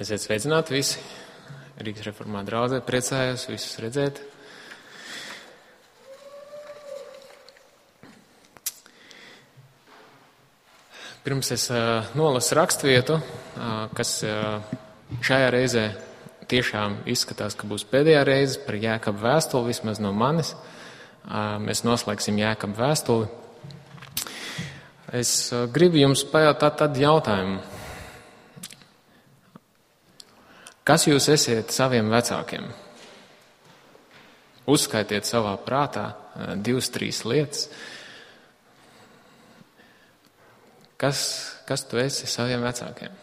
Esiet sveicināti visi. Rīgas reformā draudzē, priecājos visus redzēt. Pirms es nolasu rakstvietu, kas šajā reizē tiešām izskatās, ka būs pēdējā reize par Jēkabu vēstuli, vismaz no manis. Mēs noslēgsim Jēkabu vēstuli. Es gribu jums pajautāt tādu jautājumu. Kas jūs esiet saviem vecākiem? Uzskaitiet savā prātā 2-3 lietas. Kas tu esi saviem vecākiem?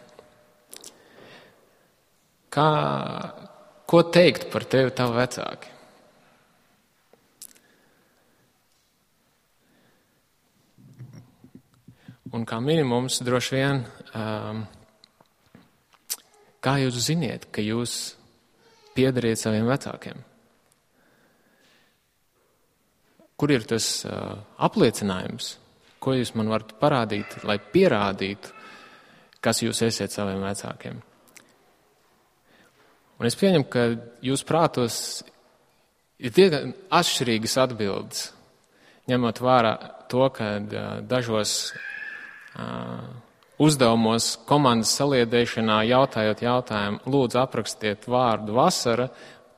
Ko teikt par tevi tavu vecāki? Un kā minimums droši vien, kā jūs ziniet, ka jūs piedariet saviem vecākiem? Kur ir tas apliecinājums, ko jūs man varat parādīt, lai pierādītu, kas jūs esiet saviem vecākiem? Un es pieņemu, ka jūs prātos ir diezgan atšķirīgas atbildes, ņemot vērā to, ka dažos uzdevumos komandas saliedēšanā jautājot jautājumu, lūdzu aprakstiet vārdu vasara,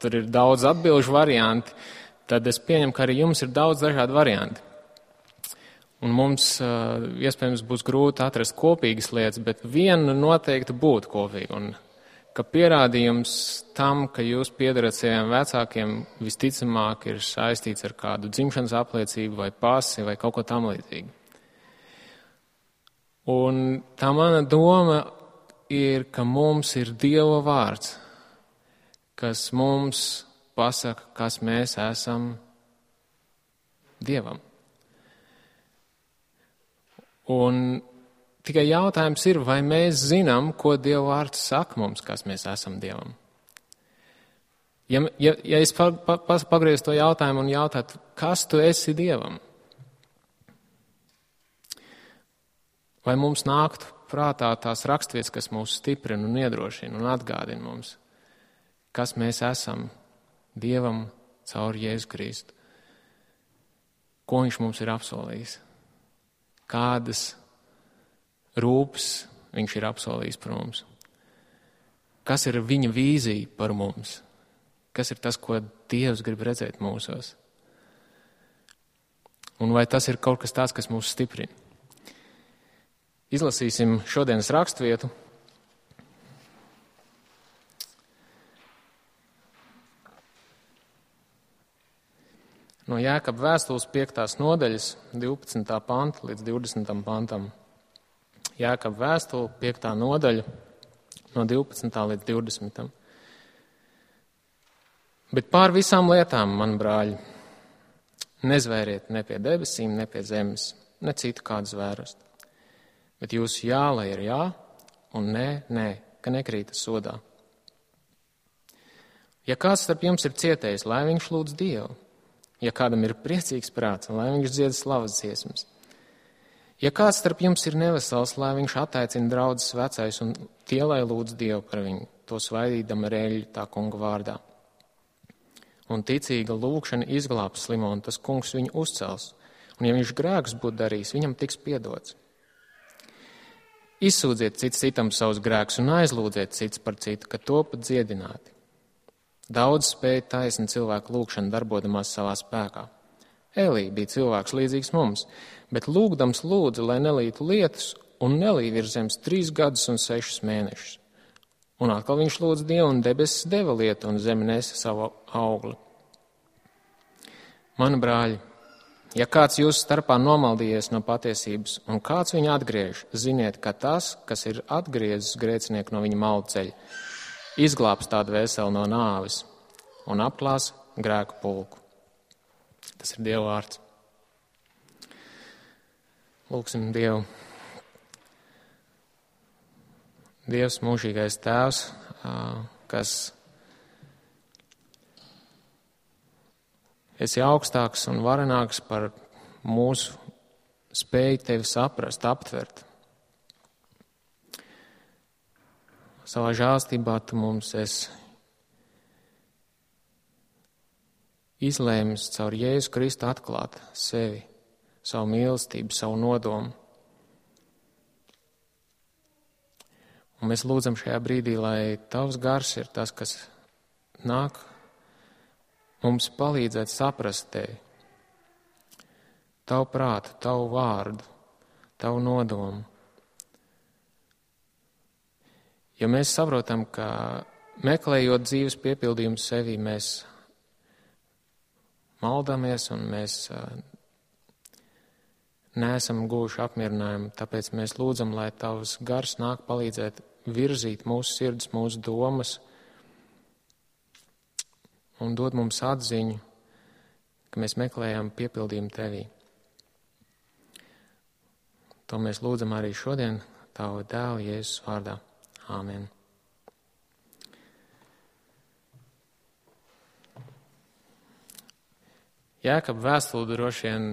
tur ir daudz atbilžu varianti, tad es pieņemu, ka arī jums ir daudz dažādu varianti. Un mums iespējams būs grūti atrast kopīgas lietas, bet viena noteikti būtu kopīga. Un ka pierādījums tam, ka jūs piedarat saviem vecākiem, visticamāk ir saistīts ar kādu dzimšanas apliecību vai pasi vai kaut ko tam līdzīgu. Un tā mana doma ir, ka mums ir Dieva vārds, kas mums pasaka, kas mēs esam Dievam. Un tikai jautājums ir, vai mēs zinām, ko Dieva vārds saka mums, kas mēs esam Dievam. Ja es pagriezu to jautājumu un jautātu, kas tu esi Dievam? Vai mums nāktu prātā tās rakstvietas, kas mūs stiprina un iedrošina un atgādina mums, kas mēs esam Dievam caur Jēzu Kristu? Ko viņš mums ir apsolījis? Kādas rūpes viņš ir apsolījis par mums? Kas ir viņa vīzija par mums? Kas ir tas, ko Dievs grib redzēt mūsos? Un vai tas ir kaut kas tāds, kas mūs stiprina? Izlasīsim šodienas rakstvietu. No Jēkaba vēstules 5. nodaļas, 12. panta līdz 20. pantam. Jēkaba vēstule 5. nodaļa, no 12. līdz 20. Bet pār visām lietām, man brāļi, nezvēriet ne pie debesīm, ne pie zemes, ne citu kādu zvērust. Bet jūsu jā, lai ir jā, un nē, ka nekrītas sodā. Ja kāds starp jums ir cietējis, lai viņš lūdz Dievu. Ja kādam ir priecīgs prāts, lai viņš dzied slavas dziesmas. Ja kāds starp jums ir nevesels, lai viņš attaicina draudzes vecais un tie, lai lūdz Dievu par viņu, to svaidīdam ar eļļu tā kunga vārdā. Un ticīga lūkšana izglābs slimo, un tas kungs viņu uzcels. Un ja viņš grēkus būtu darījis, viņam tiks piedots. Izsūdziet cits citam savus grēkus un aizlūdziet cits par citu, ka topat dziedināti. Daudz spēja taisni cilvēku lūgšanu darbodamās savā spēkā. Elī bija cilvēks līdzīgs mums, bet lūgdams lūdza, lai nelītu lietus, un nelīja virs zemes 3 gadus un 6 mēnešus. Un atkal viņš lūdza Dievu, un debesis deva lietu, un zeme nesa savu augli. Mani brāļi, ja kāds jūsu starpā nomaldījies no patiesības, un kāds viņu atgriež, ziniet, ka tas, kas ir atgriezis grēcinieku no viņa maldu ceļa, izglābs tādu veseli no nāves un apklās grēku pulku. Tas ir Dieva vārds. Lūksim Dievu. Dievs, mūžīgais Tēvs, kas esi augstāks un varenāks par mūsu spēju tevi saprast, aptvert. savā žēlstībā tu mums esi izlēmis caur Jēzu Kristu atklāt sevi, savu mīlestību, savu nodomu. Un mēs lūdzam šajā brīdī, lai tavs gars ir tas, kas nāk mums palīdzēt saprast tevi, tavu prātu, tavu vārdu, tavu nodomu. Ja mēs saprotam, ka meklējot dzīves piepildījumu sevī, mēs maldamies un mēs neesam guvuši apmierinājumu, tāpēc mēs lūdzam, lai tavs gars nāk palīdzēt virzīt mūsu sirds, mūsu domas un dod mums atziņu, ka mēs meklējam piepildījumu tevī. To mēs lūdzam arī šodien tavu dēlu Jēzus vārdā. Āmen. Jēkaba vēstule droši vien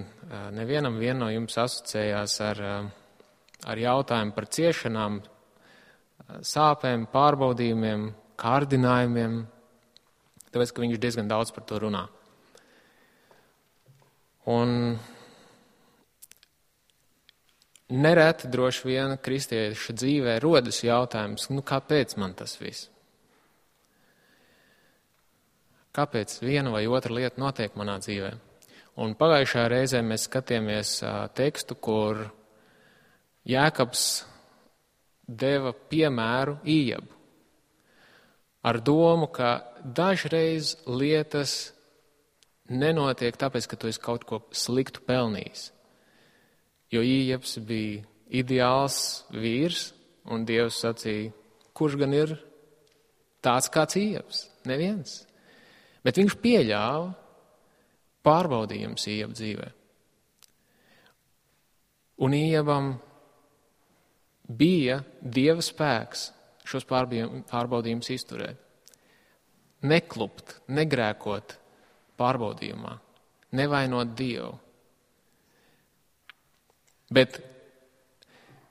nevienam no jums asociējās ar jautājumu par ciešanām, sāpēm, pārbaudījumiem, kārdinājumiem, tāpēc, ka viņš diezgan daudz par to runā. Un nereti droši vien kristieša dzīvē rodas jautājums, kāpēc man tas viss? Kāpēc viena vai otra lieta notiek manā dzīvē? Un pagājušajā reizē mēs skatījāmies tekstu, kur Jēkabs deva piemēru Ījabu ar domu, ka dažreiz lietas nenotiek tāpēc, ka tu esi kaut ko sliktu pelnījis. Jo Ījabs bija ideāls vīrs, un Dievs sacīja, kurš gan ir tāds kāds Ījabs? Neviens. Bet viņš pieļāva pārbaudījums Ījaba dzīvē. Un Ījabam bija Dieva spēks šos pārbaudījumus izturēt. Neklupt, negrēkot pārbaudījumā, nevainot Dievu. Bet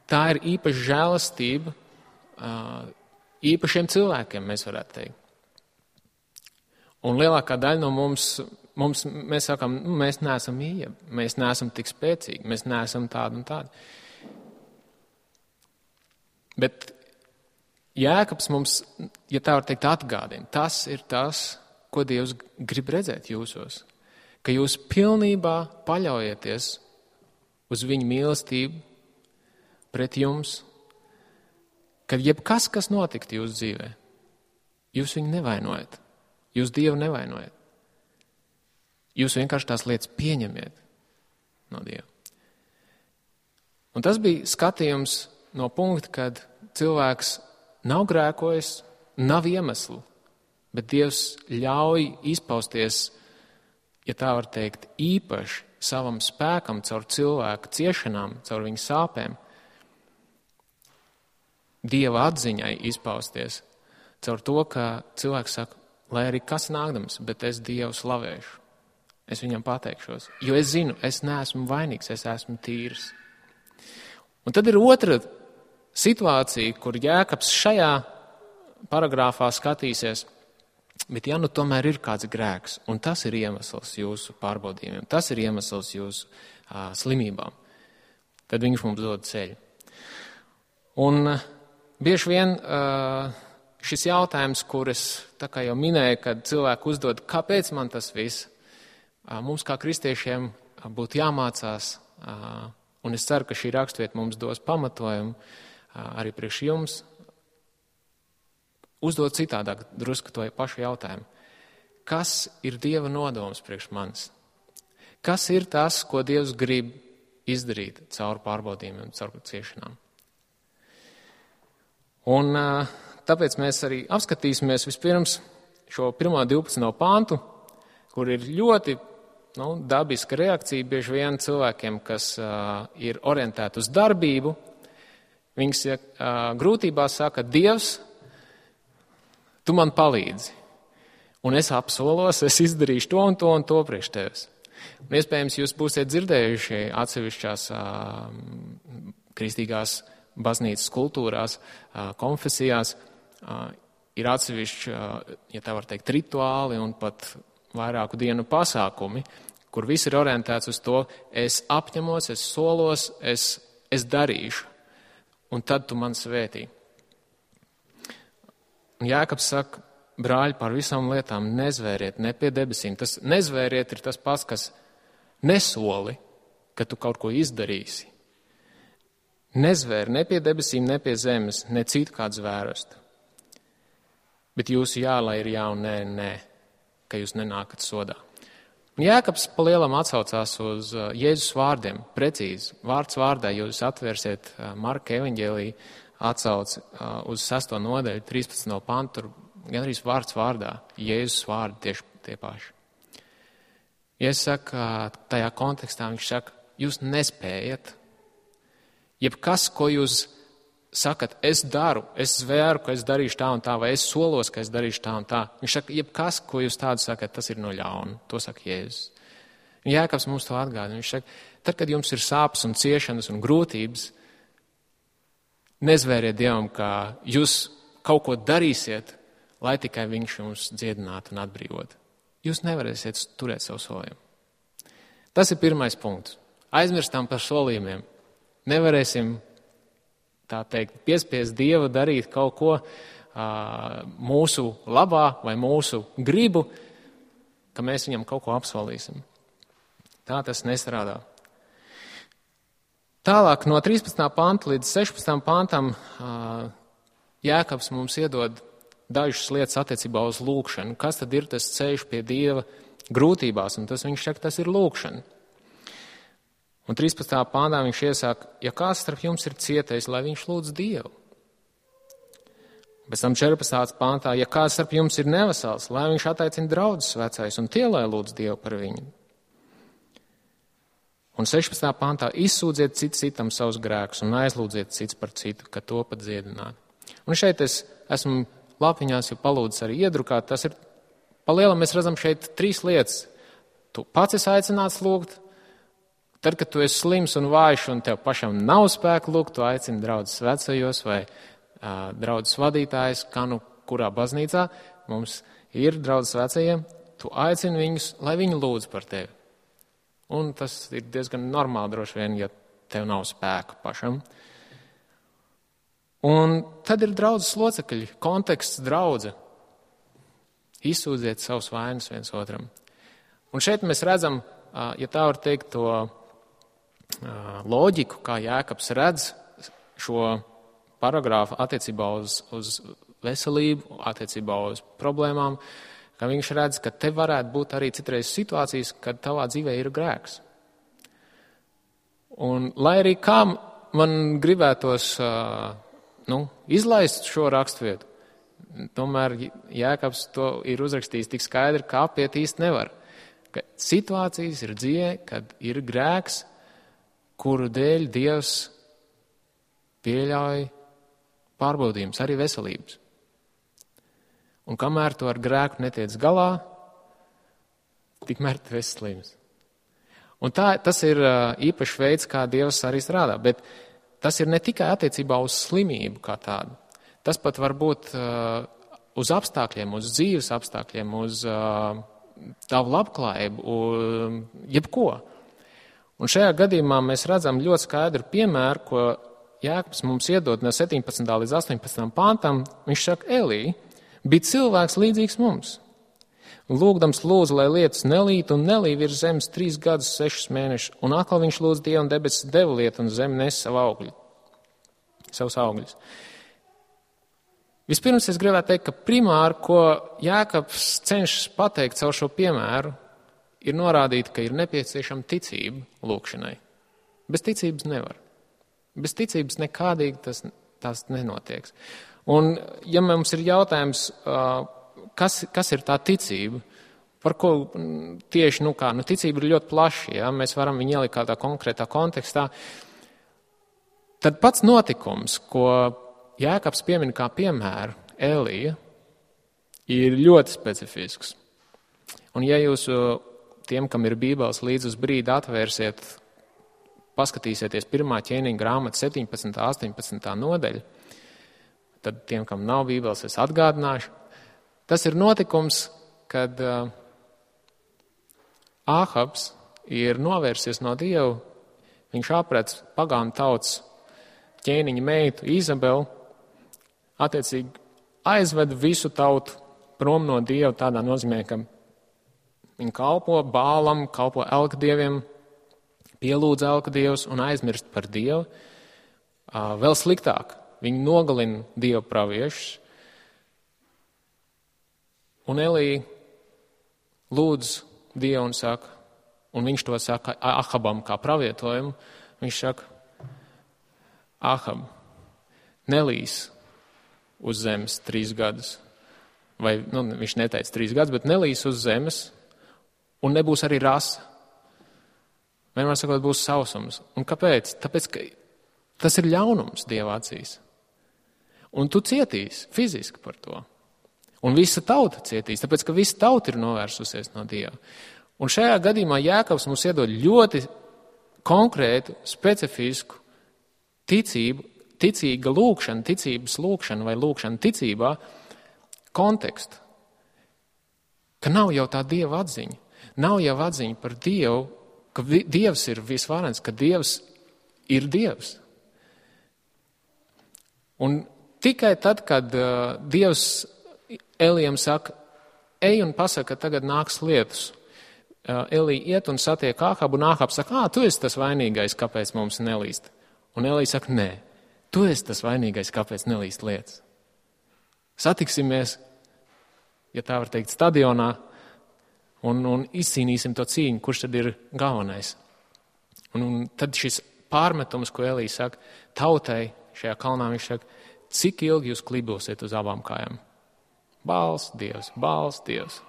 tā ir īpaša žēlastība īpašiem cilvēkiem, mēs varētu teikt. Un lielākā daļa no mums mēs sakām, mēs neesam Ījaba, mēs neesam tik spēcīgi, mēs neesam tādi un tādi. Bet Jēkabs mums, ja tā var teikt, atgādina, tas ir tas, ko Dievs grib redzēt jūsos. Ka jūs pilnībā paļaujieties uz viņa mīlestību pret jums, kad jebkas, kas notikt jūsu dzīvē, jūs viņu nevainojat, jūs Dievu nevainojat. Jūs vienkārši tās lietas pieņemiet no Dieva. Un tas bija skatījums no punkta, kad cilvēks nav grēkojis, nav iemeslu, bet Dievs ļauj izpausties, ja tā var teikt, īpaši savam spēkam, caur cilvēku ciešanām, caur viņu sāpēm, Dieva atziņai izpausties, caur to, ka cilvēks saka, lai arī kas nākdams, bet es Dievu slavēšu. Es viņam pateikšos, jo es zinu, es neesmu vainīgs, es esmu tīrs. Un tad ir otra situācija, kur Jēkabs šajā paragrāfā skatīsies, bet ja tomēr ir kāds grēks, un tas ir iemesls jūsu pārbaudījumiem, tas ir iemesls jūsu slimībām, tad viņš mums dod ceļu. Un bieži vien šis jautājums, kur es tā kā jau minēju, kad cilvēki uzdod, kāpēc man tas viss, mums kā kristiešiem būtu jāmācās, un es ceru, ka šī rakstvieta mums dos pamatojumu arī priekš jums, uzdot citādāk drusku to pašu jautājumu. Kas ir Dieva nodoms priekš manis? Kas ir tas, ko Dievs grib izdarīt caur pārbaudījumiem, caur ciešanām? Un tāpēc mēs arī apskatīsimies vispirms šo 1.12. pāntu, kur ir ļoti dabiska reakcija bieži vien cilvēkiem, kas ir orientēti uz darbību. Viņas grūtībās saka, Dievs, tu man palīdzi. Un es apsolos, es izdarīšu to un to priekš tevis. Un iespējams, jūs būsiet dzirdējuši atsevišķās kristīgās baznīcas kultūrās, konfesijās, ir atsevišķi, ja tā var teikt, rituāli un pat vairāku dienu pasākumi, kur viss ir orientēts uz to, es apņemos, es solos, es darīšu, un tad tu man svētī. Un Jēkabs saka, brāļi, par visām lietām nezvēriet ne pie debesīm. Tas nezvēriet ir tas pats, kas nesoli, ka tu kaut ko izdarīsi. Nezvēri ne pie debesīm, ne pie zemes, ne citu kādu zvērstu. Bet jūsu jā, lai ir jā un nē, ka jūs nenākat sodā. Un Jēkabs pa lielam atsaucās uz Jēzus vārdiem, precīzi, vārds vārdā, jūs atvērsiet Marka evaņģēliju, atsauc uz 6. nodaļu, 13. pantu, tur gandrīz vārds vārdā, Jēzus vārdi tieši tie paši. Jēzus saka, tajā kontekstā viņš saka, jūs nespējat, jebkas, ko jūs sakat, es daru, es zvēru, ka es darīšu tā un tā, vai es solos, ka es darīšu tā un tā. Viņš saka, jebkas, ko jūs tādu sakat, tas ir no ļauna. To saka Jēzus. Un Jēkabs mums to atgādina. Viņš saka, tad, kad jums ir sāpes un ciešanas un grūtības, nezvēriet Dievam, ka jūs kaut ko darīsiet, lai tikai viņš jums dziedinātu un atbrīvotu. Jūs nevarēsiet turēt savu solījumu. Tas ir pirmais punkts. Aizmirstam par solījumiem. Nevarēsim, tā teikt, piespiest Dievu darīt kaut ko mūsu labā vai mūsu gribu, ka mēs viņam kaut ko apsolīsim. Tā tas nestrādā. Tālāk no 13. panta līdz 16. pantam Jēkabs mums iedod dažas lietas attiecībā uz lūgšanu. Kas tad ir tas ceļš pie Dieva grūtībās? Un tas viņš saka, tas ir lūgšana. Un 13. pāntā viņš iesaka, ja kāds starp jums ir cietējis, lai viņš lūdz Dievu. Pēc tam 14. pāntā, ja kāds starp jums ir nevesels, lai viņš attaicina draudzes vecais un tie, lai lūdz Dievu par viņu. Un 16. pāntā izsūdziet citam savus grēkus un aizlūdziet cits par citu, ka to pat dziedināt. Un šeit es esmu lapiņās jau palūdzis arī iedrukāt. Tas ir, pa lielam mēs redzam šeit 3 lietas. Tu pats esi aicināts lūgt. Tad, kad tu esi slims un vājš un tev pašam nav spēka lūgt, tu aicini draudzes vecajos vai draudzes vadītājs, kā nu kurā baznīcā mums ir draudzes vecajiem, tu aicini viņus, lai viņi lūdz par tevi. Un tas ir diezgan normāli droši vien, ja tev nav spēka pašam. Un tad ir draudzes locekļi, konteksts draudze. Izsūdziet savus vainas viens otram. Un šeit mēs redzam, ja tā var teikt, to loģiku, kā Jēkabs redz šo paragrāfu attiecībā uz veselību, attiecībā uz problēmām, ka viņš redz, ka te varētu būt arī citreiz situācijas, kad tavā dzīvē ir grēks. Un lai arī kā man gribētos izlaist šo raksturvietu, tomēr Jēkabs to ir uzrakstījis tik skaidri, ka apiet īsti nevar. Ka situācijas ir dzīvē, kad ir grēks, kuru dēļ Dievs pieļauj pārbaudījumus, arī veselības. Un kamēr tu ar grēku netiec galā, tikmēr tu esi slims. Un tas ir īpašs veids, kā Dievs arī strādā, bet tas ir ne tikai attiecībā uz slimību kā tādu. Tas pat var būt uz apstākļiem, uz dzīves apstākļiem, uz tavu labklājību, jebko. Un šajā gadījumā mēs redzam ļoti skaidru piemēru, ko Jēkabs mums iedod no 17. līdz 18. pantam. Viņš saka, Elī, bija cilvēks līdzīgs mums. Lūgdams lūdzu, lai lietus nelīt un nelī virs zemes 3 gadus 6 mēnešus, un atkal viņš lūdz Dievu un debesis deva lietu un zeme nes savus augļus. Vispirms es gribētu teikt, ka primāri, ko Jēkabs cenšas pateikt caur šo piemēru, ir norādīt, ka ir nepieciešama ticība lūkšanai. Bez ticības nevar. Bez ticības nekādīgi tas nenotiek. Un, ja mums ir jautājums, kas ir tā ticība, par ko tieši, ticība ir ļoti plaša, ja? Mēs varam viņu ielikt kādā konkrētā kontekstā, tad pats notikums, ko Jēkabs piemin kā piemēru, Elija, ir ļoti specifisks. Un ja jūs tiem, kam ir Bībeles līdz uz brīdi atvērsiet, paskatīsieties 1. ķēniņa grāmata 17. 18. nodaļa, Tad tiem, kam nav Bībeles, es atgādināšu. Tas ir notikums, kad Āhabs ir novērsies no Dieva. Viņš aprec pagānu tautas ķēniņa meitu Izabeli, attiecīgi aizved visu tautu prom no Dieva tādā nozīmē, ka viņi kalpo Bālam, kalpo elkdieviem, pielūdz elkdievus un aizmirst par Dievu. Vēl sliktāk, viņi nogalina Dieva praviešus. Un Elija lūdz Dievu un saka, un viņš to saka Ahabam kā pravietojumu, viņš saka, Ahab, nelīs uz zemes 3 gadus. Vai, viņš neteica 3 gadus, bet nelīs uz zemes, un nebūs arī rasa. Vienmēr sakot, būs sausums. Un kāpēc? Tāpēc, ka tas ir ļaunums Dieva acīs. Un tu cietīsi fiziski par to. Un visa tauta cietīs, tāpēc, ka visa tauta ir novērsusies no Dieva. Un šajā gadījumā Jēkabs mums iedod ļoti konkrētu, specifisku ticību, ticīga lūkšana, ticības lūkšana vai lūkšana ticībā kontekstu. Ka nav jau tā Dieva atziņa. Nav jau atziņa par Dievu, ka Dievs ir visvarens, ka Dievs ir Dievs. Un tikai tad, kad Dievs Elijam saka, ej un pasaka, ka tagad nāks lietus. Elija iet un satiek Āhabu, un Āhabs saka, tu esi tas vainīgais, kāpēc mums nelīst. Un Elija saka, nē, tu esi tas vainīgais, kāpēc nelīst lietas. Satiksimies, ja tā var teikt, stadionā, un izcīnīsim to cīņu, kurš tad ir galvenais. Un tad šis pārmetums, ko Elija saka, tautai šajā kalnā, viņš saka, cik ilgi jūs klibosiet uz abām kājām? Bāls Dievs, Bāls Dievs.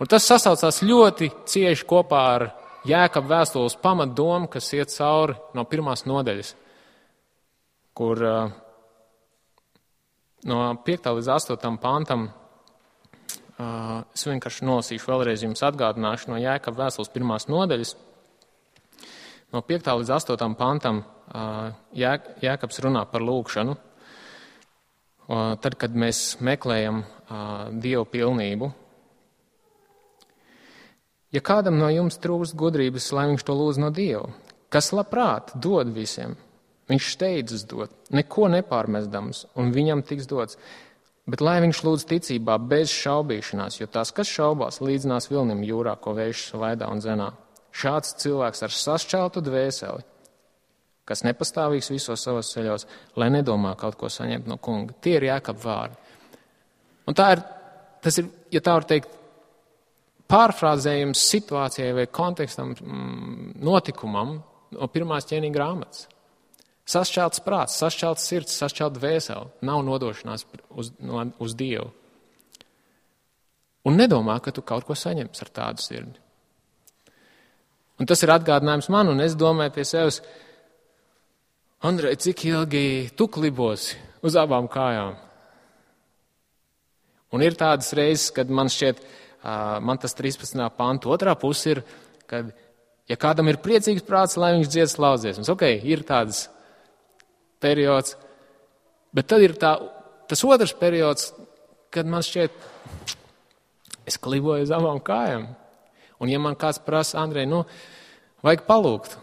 Un tas sasaucās ļoti cieši kopā ar Jēkaba vēstules pamatdomu, kas iet cauri no 1. nodaļas, kur no 5. līdz 8. pantam es vienkārši nolasīšu vēlreiz jums atgādināšu no Jēkaba vēstules 1. nodaļas. No 5. līdz 8. pantam Jēkabs runā par lūkšanu. Tad, kad mēs meklējam Dievu pilnību. Ja kādam no jums trūkst gudrības, lai viņš to lūdz no Dieva, kas labprāt dod visiem, viņš steidzas dot, neko nepārmestams, un viņam tiks dots. Bet lai viņš lūdz ticībā bez šaubīšanās, jo tas, kas šaubās, līdzinās vilnim jūrā, ko vējš vaidā un zenā. Šāds cilvēks ar sašķeltu dvēseli, kas nepastāvīgs visos savos ceļos, lai nedomā kaut ko saņemt no kunga. Tie ir Jēkaba vārdi. Un tas ir, ja tā var teikt, pārfrāzējums situācijai vai kontekstam, notikumam no 1. ķēniņa grāmatas. Sašķelts prāts, sašķelts sirds, sašķelts dvēseli. Nav nodošanās uz Dievu. Un nedomā, ka tu kaut ko saņemsi ar tādu sirdi. Un tas ir atgādinājums man, un es domāju pie sevis, Andrej, cik ilgi tu klibosi uz abām kājām? Un ir tādas reizes, kad man šķiet, man tas 13. pantu otrā puse ir, kad, ja kādam ir priecīgs prāts, lai viņš dzied slavu dziesmas. Ok, ir tāds periods, bet tad ir tas otrs periods, kad man šķiet, es kliboju uz abām kājām. Un ja man kāds prasa, Andrej, vajag palūgt.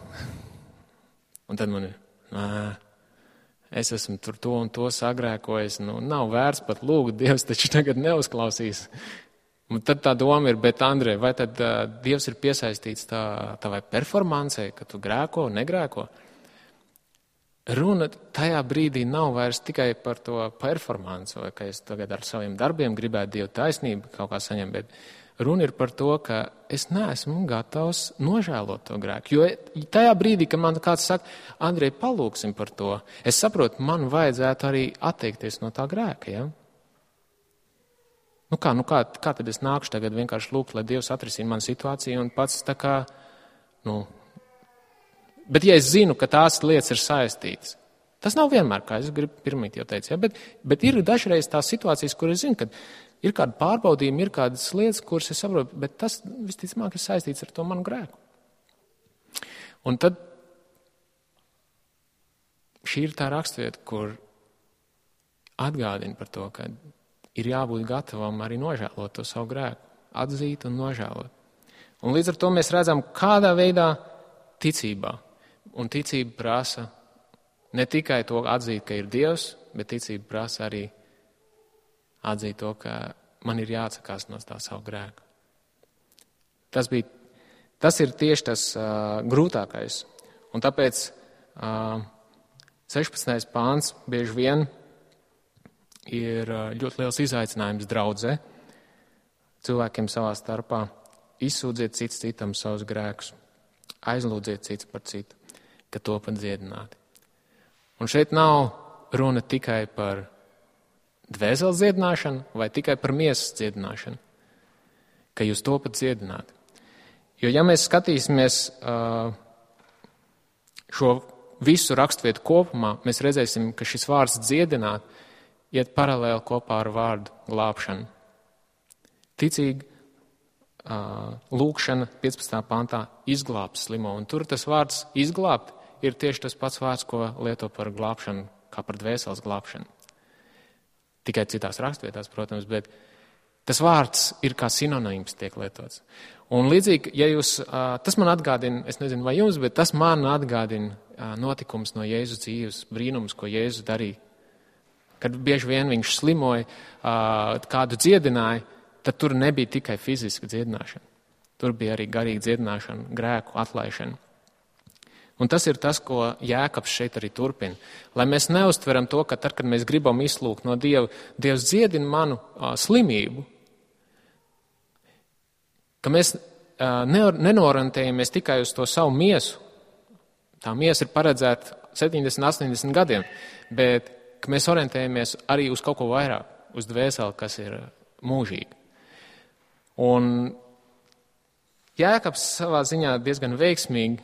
Un tad man ir, es esmu tur to un to sagrēkojis, nav vērts pat lūgt, Dievs taču tagad neuzklausīs. Un tad tā doma ir, bet Andrej, vai tad Dievs ir piesaistīts tavai performancei, ka tu grēko, negrēko? Runa tajā brīdī nav vairs tikai par to performanci, vai ka es tagad ar saviem darbiem gribētu Dievu taisnību kaut kā saņemt, bet runa ir par to, ka es neesmu gatavs nožēlot to grēku. Jo tajā brīdī, kad man kāds saka, Andrej, palūksim par to, es saprotu, man vajadzētu arī atteikties no tā grēka, ja? Kā tad es nākšu tagad vienkārši lūgt, lai Dievs atrisina manu situāciju un pats tā kā, Bet ja es zinu, ka tās lietas ir saistītas, tas nav vienmēr, kā es gribu pirmīt jau teicu, ja? Bet ir dažreiz tās situācijas, kur es zinu, ka ir kādi pārbaudījumi, ir kādas lietas, kuras es saprotu, bet tas visticamāk ir saistīts ar to manu grēku. Un tad šī ir tā raksturvieta, kur atgādina par to, ka ir jābūt gatavam arī nožēlot to savu grēku, atzīt un nožēlot. Un līdz ar to mēs redzam, kādā veidā ticībā. Un ticība prasa ne tikai to atzīt, ka ir Dievs, bet ticība prasa arī atzīt to, ka man ir jāatsakās no tā savu grēku. Tas ir tieši tas grūtākais. Un tāpēc 16. pāns bieži vien ir ļoti liels izaicinājums draudzē. Cilvēkiem savā starpā izsūdziet cits citam savus grēkus, aizlūdziet cits par citu, ka to pat dziedināti. Un šeit nav runa tikai par dvēseles dziedināšanu vai tikai par miesas dziedināšanu, ka jūs to pat dziedināti. Jo ja mēs skatīsimies šo visu raksturvietu kopumā, mēs redzēsim, ka šis vārds dziedināt iet paralēli kopā ar vārdu glābšanu. Ticīgi lūkšana 15. pantā izglābs slimo, un tur tas vārds izglābt ir tieši tas pats vārds, ko lieto par glābšanu, kā par dvēseles glābšanu. Tikai citās rakstvietās, protams, bet tas vārds ir kā sinonīms tiek lietots. Un līdzīgi, ja jūs, tas man atgādina, es nezinu vai jums, bet tas man atgādina notikums no Jēzus dzīves, brīnums, ko Jēzus darīja. Kad bieži vien viņš slimoja, kādu dziedināja, tad tur nebija tikai fiziska dziedināšana. Tur bija arī garīga dziedināšana, grēku atlaišana. Un tas ir tas, ko Jēkabs šeit arī turpina. Lai mēs neuztveram to, ka tad, kad mēs gribam izlūgt no Dieva, Dievs dziedina manu slimību, ka mēs nenorantējamies tikai uz to savu miesu. Tā miesa ir paredzēta 70, 80 gadiem, bet ka mēs orientējamies arī uz kaut ko vairāk, uz dvēseli, kas ir mūžīga. Un Jēkabs savā ziņā diezgan veiksmīgi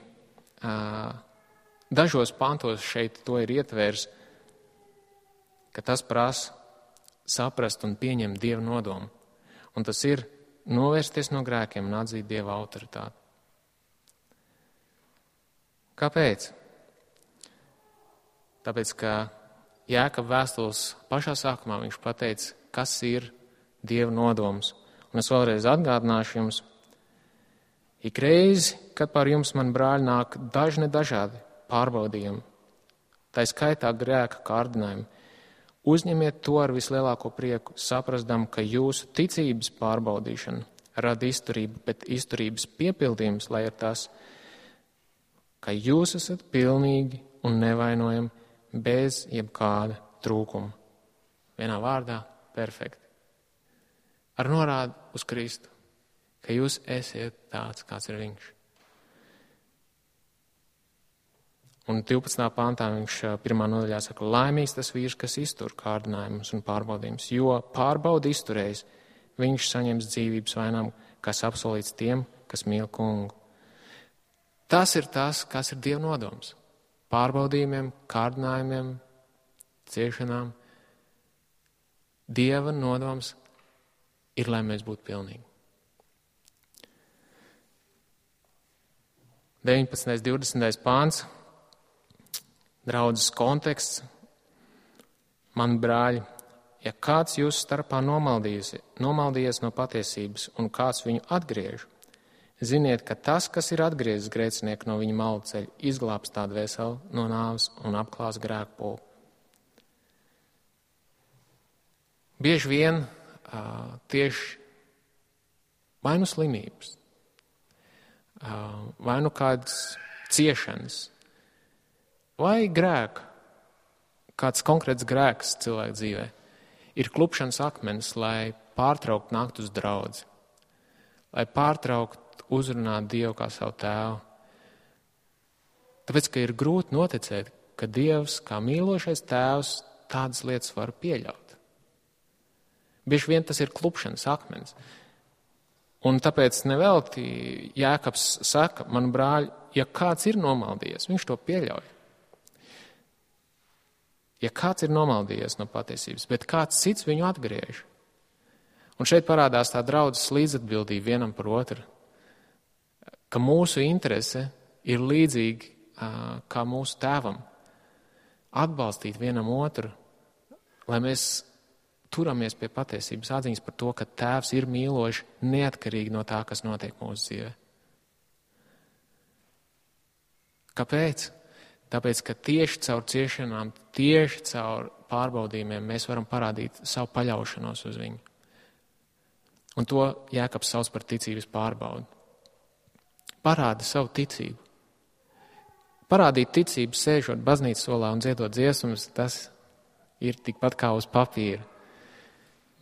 dažos pantos šeit to ir ietvērs, ka tas prasa saprast un pieņemt Dieva nodomu. Un tas ir novērsties no grēkiem un atzīt Dieva autoritāti. Kāpēc? Tāpēc, ka Jēkaba vēstules pašā sākumā viņš pateica, kas ir Dieva nodoms. Un es vēlreiz atgādināšu jums, ik reizi, kad pār jums, man brāļi, nāk dažādi pārbaudījumi, tā skaitā grēka kārdinājumi, uzņemiet to ar vislielāko prieku, saprasdam, ka jūsu ticības pārbaudīšana rada izturību, bet izturības piepildījums, lai ir tas, ka jūs esat pilnīgi un nevainojami bez jebkāda trūkuma. Vienā vārdā - perfekti. Ar norādu uz Kristu, ka jūs esiet tāds, kāds ir viņš. Un 12. pantā viņš 1. nodaļā saka, laimīgs tas vīrs, kas iztur kārdinājumus un pārbaudījumus, jo pārbaudi izturējis, viņš saņems dzīvības vainām, kas apsolīts tiem, kas mīl kungu. Tas ir tas, kas ir Dieva nodoms. Pārbaudījumiem, kārdinājumiem, ciešanām. Dieva nodoms ir, lai mēs būtu pilnīgi. 19. 20. pāns, draudzes konteksts. Man brāļi, ja kāds jūsu starpā nomaldies no patiesības un kāds viņu atgriež, ziniet, ka tas, kas ir atgriezis grēcinieku no viņa malu ceļa, izglābs tā dvēseli no nāves un apklās grēku pulku. Bieži vien tieši vai nu slimības, vai nu kādas ciešanas, vai grēka, kāds konkrēts grēks cilvēka dzīvē, ir klupšanas akmenis, lai pārtraukt nākt uz draudzi, lai pārtraukt uzrunāt Dievu kā savu tēvu. Tāpēc, ka ir grūti noticēt, ka Dievs, kā mīlošais tēvs, tādas lietas var pieļaut. Bieži vien tas ir klupšanas akmenis. Un tāpēc nevelti Jēkabs saka, man brāļi, ja kāds ir nomaldījies, viņš to pieļauj. Ja kāds ir nomaldījies no patiesības, bet kāds cits viņu atgriež. Un šeit parādās tā draudzes līdzatbildība vienam par otru, ka mūsu interese ir līdzīga kā mūsu tēvam. Atbalstīt vienam otru, lai mēs turamies pie patiesības atziņas par to, ka Tēvs ir mīlošs neatkarīgi no tā, kas notiek mūsu dzīvē. Kāpēc? Tāpēc, ka tieši caur ciešanām, tieši caur pārbaudījumiem mēs varam parādīt savu paļaušanos uz viņu. Un to Jēkabs sauc par ticības pārbaudi. Parādi savu ticību. Parādīt ticību, sēžot baznīcas solā un dziedot dziesmas, tas ir tikpat kā uz papīra.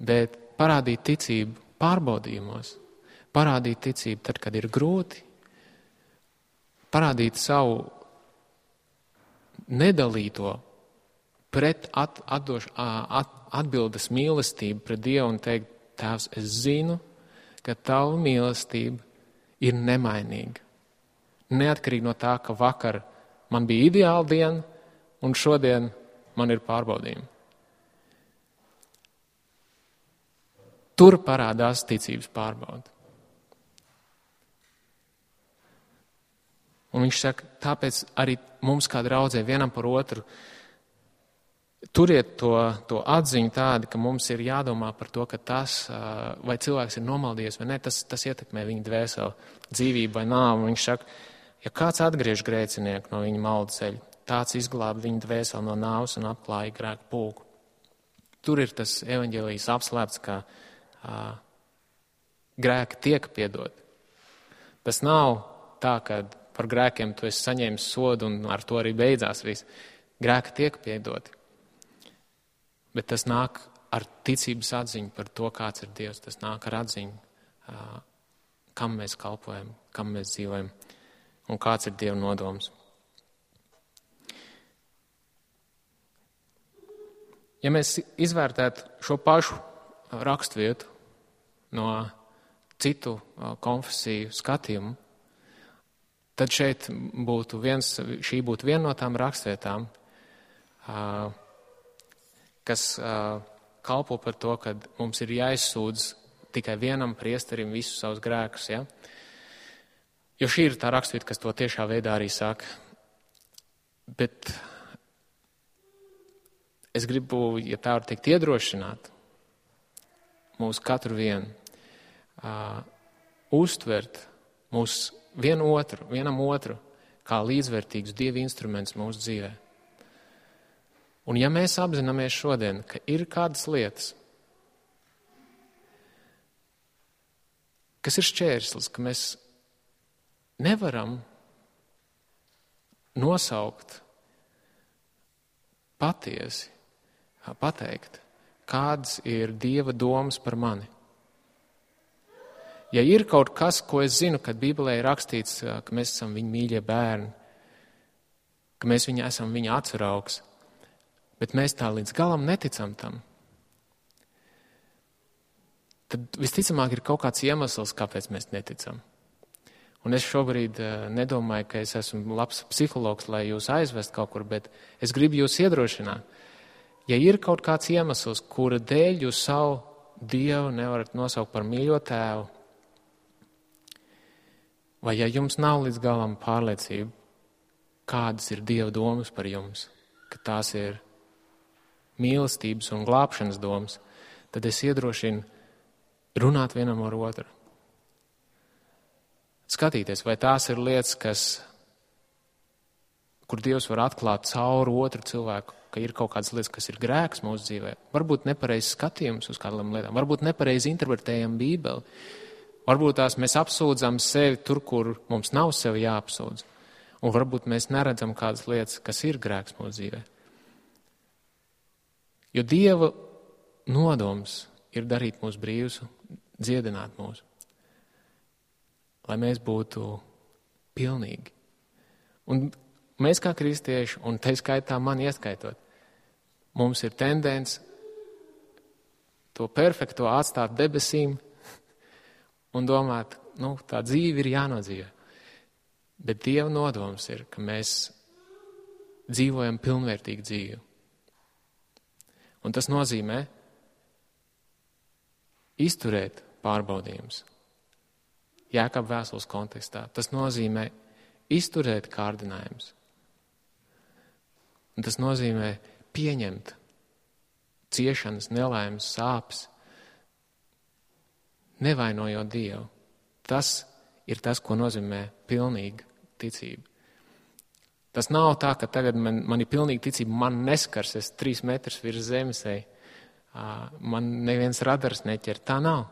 Bet parādīt ticību pārbaudījumos, parādīt ticību tad, kad ir grūti, parādīt savu nedalīto pret atbildes mīlestību pret Dievu un teikt, Tēvs, es zinu, ka Tava mīlestība ir nemainīga. Neatkarīgi no tā, ka vakar man bija ideāla diena un šodien man ir pārbaudījumi. Tur parādās ticības pārbauda. Un viņš saka, tāpēc arī mums kā draudzē vienam par otru turiet to atziņu tādu, ka mums ir jādomā par to, ka tas, vai cilvēks ir nomaldījies vai ne, tas ietekmē viņa dvēseli, dzīvību vai nāvu. Viņš saka, ja kāds atgriež grēcinieku no viņa maldu ceļa, tāds izglāba viņa dvēseli no nāves un apklāja grēku pulku. Tur ir tas evaņģēlijs apslēpts, ka grēki tiek piedoti. Tas nav tā, ka par grēkiem tu esi saņēmis sodu un ar to arī beidzās viss. Grēki tiek piedoti. Bet tas nāk ar ticības atziņu par to, kāds ir Dievs. Tas nāk ar atziņu, kam mēs kalpojam, kam mēs dzīvojam un kāds ir Dieva nodoms. Ja mēs izvērtētu šo pašu rakstvietu no citu konfesiju skatījumu, tad šī būtu viena no tām rakstvietām, kas kalpo par to, ka mums ir jāizsūdz tikai vienam priesterim visus savus grēkus. Ja? Jo šī ir tā rakstvieta, kas to tiešā veidā arī saka. Bet es gribu, ja tā var teikt, iedrošināt mūs katru vienu, uztvert mūs vienam otru kā līdzvērtīgus Dieva instrumentus mūsu dzīvē. Un ja mēs apzināmies šodien, ka ir kādas lietas, kas ir šķērslis, ka mēs nevaram nosaukt patiesi, pateikt, kādas ir Dieva domas par mani. Ja ir kaut kas, ko es zinu, kad Bībelē ir rakstīts, ka mēs esam viņa mīļie bērni, ka mēs esam viņa atsaraugs, bet mēs tā līdz galam neticam tam, tad visticamāk ir kaut kāds iemesls, kāpēc mēs neticam. Un es šobrīd nedomāju, ka es esmu labs psihologs, lai jūs aizvest kaut kur, bet es gribu jūs iedrošināt. Ja ir kaut kāds iemesls, kura dēļ jūs savu Dievu nevarat nosaukt par mīļo tēvu, vai ja jums nav līdz galam pārliecība, kādas ir Dieva domas par jums, ka tās ir mīlestības un glābšanas domas, tad es iedrošinu runāt vienam ar otru. Skatīties, vai tās ir lietas, kur Dievs var atklāt cauri otru cilvēku, ka ir kaut kādas lietas, kas ir grēks mūsu dzīvē. Varbūt nepareizs skatījums uz kādām lietām, varbūt nepareizi interpretējam Bībeli, varbūt tās mēs apsūdzam sevi tur, kur mums nav sevi jāapsūdz, un varbūt mēs neredzam kādas lietas, kas ir grēks mūsu dzīvē. Jo Dieva nodoms ir darīt mūs brīvus, dziedināt mūs, lai mēs būtu pilnīgi. Un mēs kā kristieši, un te skaitā mani ieskaitot, mums ir tendence to perfekto atstāt debesīm un domāt, tā dzīve ir jānodzīvē. Bet Dieva nodoms ir, ka mēs dzīvojam pilnvērtīgu dzīvi. Un tas nozīmē izturēt pārbaudījumus. Jēkaba vēstules kontekstā. Tas nozīmē izturēt kārdinājumus. Un tas nozīmē pieņemt ciešanas, nelaimes, sāpes, nevainojot Dievu. Tas ir tas, ko nozīmē pilnīga ticība. Tas nav tā, ka tagad man ir pilnīga ticība, man neskars, es 3 metrus virs zemes eju, man neviens radars neķer. Tā nav.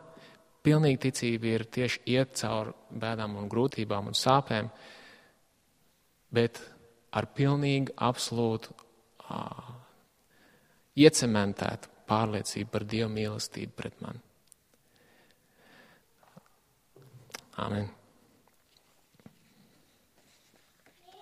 Pilnīga ticība ir tieši iet cauri bēdām un grūtībām un sāpēm, bet ar pilnīgu, absolūtu, iecementētu pārliecību par Dieva mīlestību pret mani. Āmen.